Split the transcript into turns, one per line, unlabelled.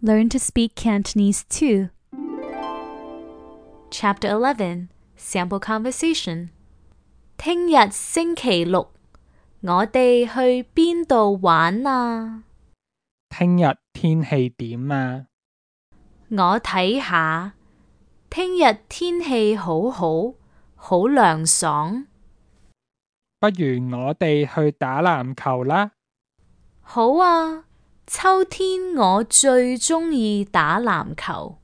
Learn to speak Cantonese too.
Chapter 11 Sample Conversation 聽日星期六，我哋去邊度玩啊？
聽日天氣點啊？
我睇下，聽日天氣好好，好涼爽。
不如我哋去打籃球啦。
好啊，秋天我最鍾意打籃球。